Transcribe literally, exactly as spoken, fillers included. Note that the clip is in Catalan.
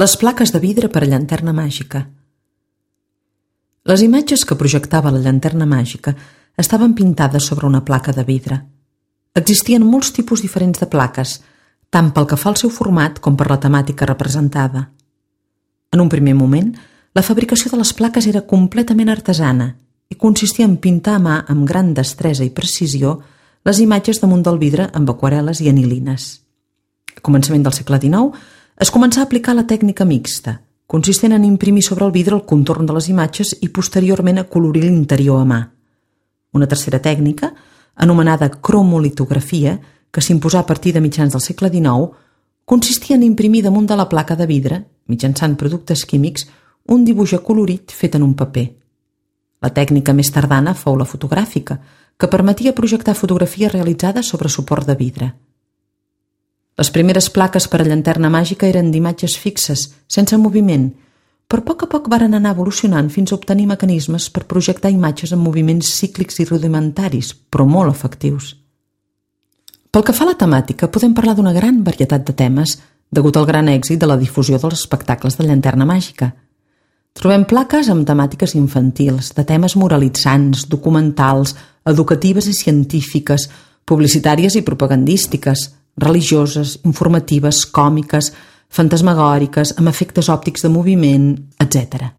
Les plaques de vidre per a llanterna màgica. Les imatges que projectava la llanterna màgica estaven pintades sobre una placa de vidre. Existien molts tipus diferents de plaques, tant pel que fa al seu format com per la temàtica representada. En un primer moment, la fabricació de les plaques era completament artesana i consistia en pintar a mà amb gran destresa i precisió les imatges damunt del vidre amb aquarel·les i anilines. A començament del segle dinou es començà a aplicar la tècnica mixta, consistent en imprimir sobre el vidre el contorn de les imatges i posteriorment a colorir l'interior a mà. Una tercera tècnica, anomenada cromolitografia, que s'imposà a partir de mitjans del segle dinou, consistia en imprimir damunt de la placa de vidre, mitjançant productes químics, un dibuix acolorit fet en un paper. La tècnica més tardana fou la fotogràfica, que permetia projectar fotografies realitzades sobre suport de vidre. Les primeres plaques per a llanterna màgica eren d'imatges fixes, sense moviment, però a poc a poc varen anar evolucionant fins a obtenir mecanismes per projectar imatges amb moviments cíclics i rudimentaris, però molt efectius. Pel que fa a la temàtica, podem parlar d'una gran varietat de temes degut al gran èxit de la difusió dels espectacles de llanterna màgica. Trobem plaques amb temàtiques infantils, de temes moralitzants, documentals, educatives i científiques, publicitàries i propagandístiques, religioses, informatives, còmiques, fantasmagòriques, amb efectes òptics de moviment, etcètera.